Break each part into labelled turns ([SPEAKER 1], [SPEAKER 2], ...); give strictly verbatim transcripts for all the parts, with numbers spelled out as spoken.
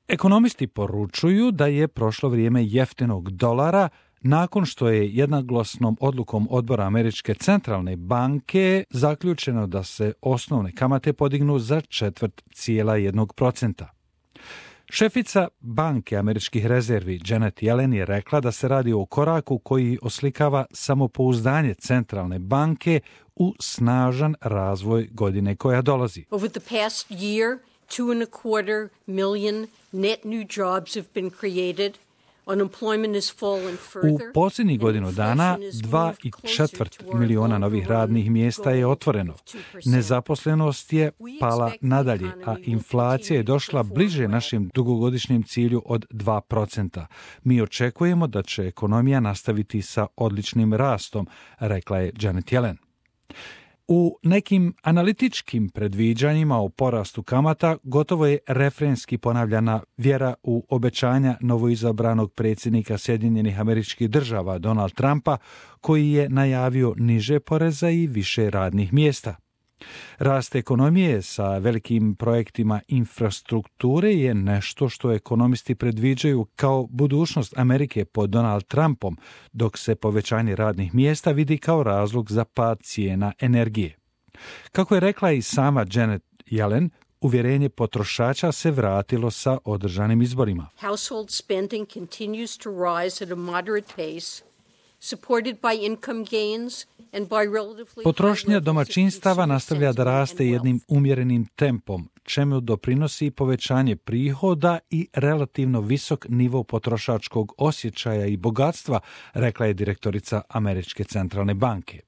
[SPEAKER 1] Ekonomisti poručuju da je prošlo vrijeme jeftinog dolara nakon što je jednoglasnom odlukom odbora Američke centralne banke zaključeno da se osnovne kamate podignu za četvrt cijela jednog procenta. Šefica banke američkih rezervi Janet Yellen je rekla da se radi o koraku koji oslikava samopouzdanje centralne banke u snažan razvoj godine koja dolazi.
[SPEAKER 2] Over the past year, two and a quarter million net new jobs have been created.
[SPEAKER 1] U posljednjih godinu dana dva i četvrt miliona novih radnih mjesta je otvoreno. Nezaposlenost je pala nadalje, a inflacija je došla bliže našem dugogodišnjem cilju od dva procenta. Mi očekujemo da će ekonomija nastaviti sa odličnim rastom, rekla je Janet Yellen. U nekim analitičkim predviđanjima o porastu kamata gotovo je refrenski ponavljana vjera u obećanja novoizabranog predsjednika Sjedinjenih Američkih Država Donald Trumpa, koji je najavio niže poreza i više radnih mjesta. Rast ekonomije sa velikim projektima infrastrukture je nešto što ekonomisti predviđaju kao budućnost Amerike pod Donald Trumpom, dok se povećanje radnih mjesta vidi kao razlog za pad cijena energije. Kako je rekla i sama Janet Yellen, uvjerenje potrošača se vratilo sa održanim izborima.
[SPEAKER 2] Household spending continues to rise at a moderate pace, supported by income gains.
[SPEAKER 1] Potrošnja domaćinstava nastavlja da raste jednim umjerenim tempom, čemu doprinosi povećanje prihoda i relativno visok nivo potrošačkog osjećaja i bogatstva, rekla je direktorica Američke centralne banke.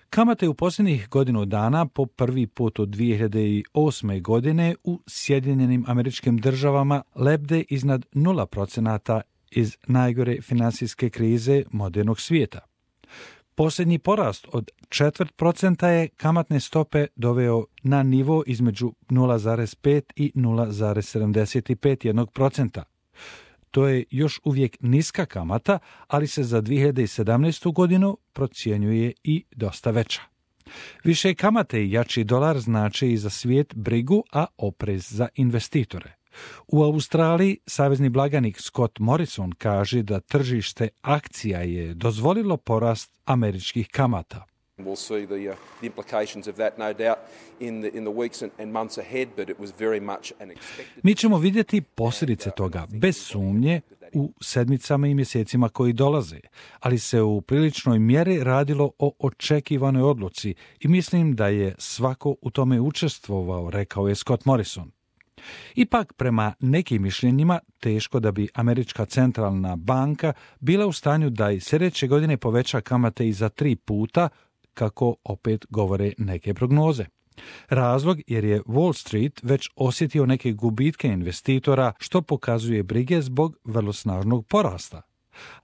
[SPEAKER 1] Kamate u posljednjih godinu dana po prvi put od dvije hiljade osme. godine u Sjedinjenim Američkim Državama lebde iznad nula procenata iz najgore financijske krize modernog svijeta. Posljednji porast od četvrt procenta je kamatne stope doveo na nivo između nula zarez pet i nula zarez sedamdeset pet jednog procenta. To je još uvijek niska kamata, ali se za dvije hiljade sedamnaestu. godinu procjenjuje i dosta veća. Više kamate i jači dolar znače i za svijet brigu, a oprez za investitore. U Australiji savezni blagajnik Scott Morrison kaže da tržište akcija je dozvolilo porast američkih kamata.
[SPEAKER 3] We'll see the, uh, the implications of that, no doubt, in the, in the weeks and, and months ahead, but it was very much an expected...
[SPEAKER 1] Mi ćemo vidjeti posljedice toga, bez sumnje, u sedmicama i mjesecima koji dolaze, ali se u priličnoj mjeri radilo o očekivanoj odluci i mislim da je svako u tome učestvovao, rekao je Scott Morrison. Ipak, prema nekim mišljenjima, teško da bi Američka centralna banka bila u stanju da i sljedeće godine poveća kamate i za tri puta, kako opet govore neke prognoze. Razlog jer je Wall Street već osjetio neke gubitke investitora, što pokazuje brige zbog vrlo snažnog porasta.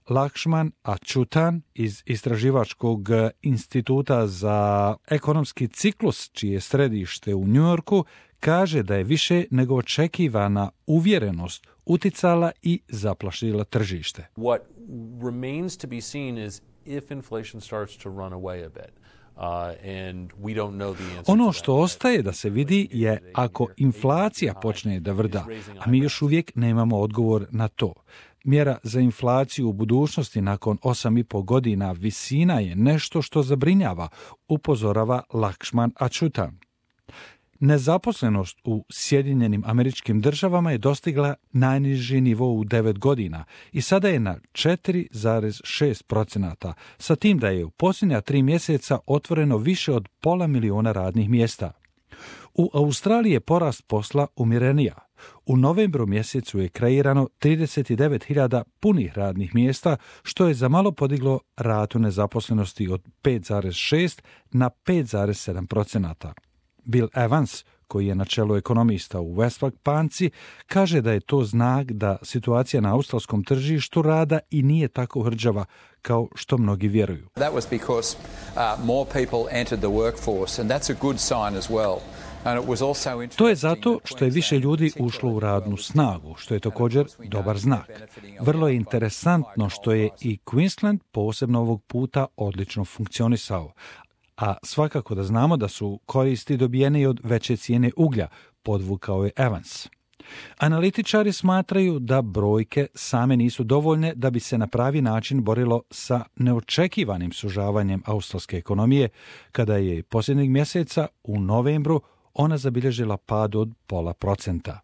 [SPEAKER 1] Lakshman Achutan iz Istraživačkog instituta za ekonomski ciklus, čije je središte u New Yorku, kaže da je više nego očekivana uvjerenost uticala i zaplašila tržište.
[SPEAKER 4] What remains to be seen is if inflation starts to run away a bit. Uh, and we don't know the answer.
[SPEAKER 1] Ono što ostaje da se vidi je ako inflacija počne da vrda, a mi još uvijek nemamo odgovor na to. Mjera za inflaciju u budućnosti nakon osam i pol godina visina je nešto što zabrinjava, upozorava Lakshman Achutan. Nezaposlenost u Sjedinjenim Američkim Državama je dostigla najniži nivo u devet godina i sada je na četiri zarez šest procenata, sa tim da je u posljednja tri mjeseca otvoreno više od pola miliona radnih mjesta. U Australiji je porast posla umjerenija. U novembru mjesecu je kreirano trideset devet hiljada punih radnih mjesta, što je za malo podiglo ratu nezaposlenosti od pet zarez šest na pet zarez sedam procenata. Bill Evans, koji je na čelu ekonomista u Westpac banci, kaže da je to znak da situacija na australskom tržištu rada i nije tako hrđava kao što mnogi vjeruju.
[SPEAKER 5] That was because uh, more people entered the workforce and that's a good sign as well.
[SPEAKER 1] To je zato što je više ljudi ušlo u radnu snagu, što je također dobar znak. Vrlo je interesantno što je i Queensland posebno ovog puta odlično funkcionisao. A svakako da znamo da su koristi dobijene i od veće cijene uglja, podvukao je Evans. Analitičari smatraju da brojke same nisu dovoljne da bi se na pravi način borilo sa neočekivanim sužavanjem australske ekonomije, kada je posljednjeg mjeseca u novembru ona zabilježila pad od pola procenta.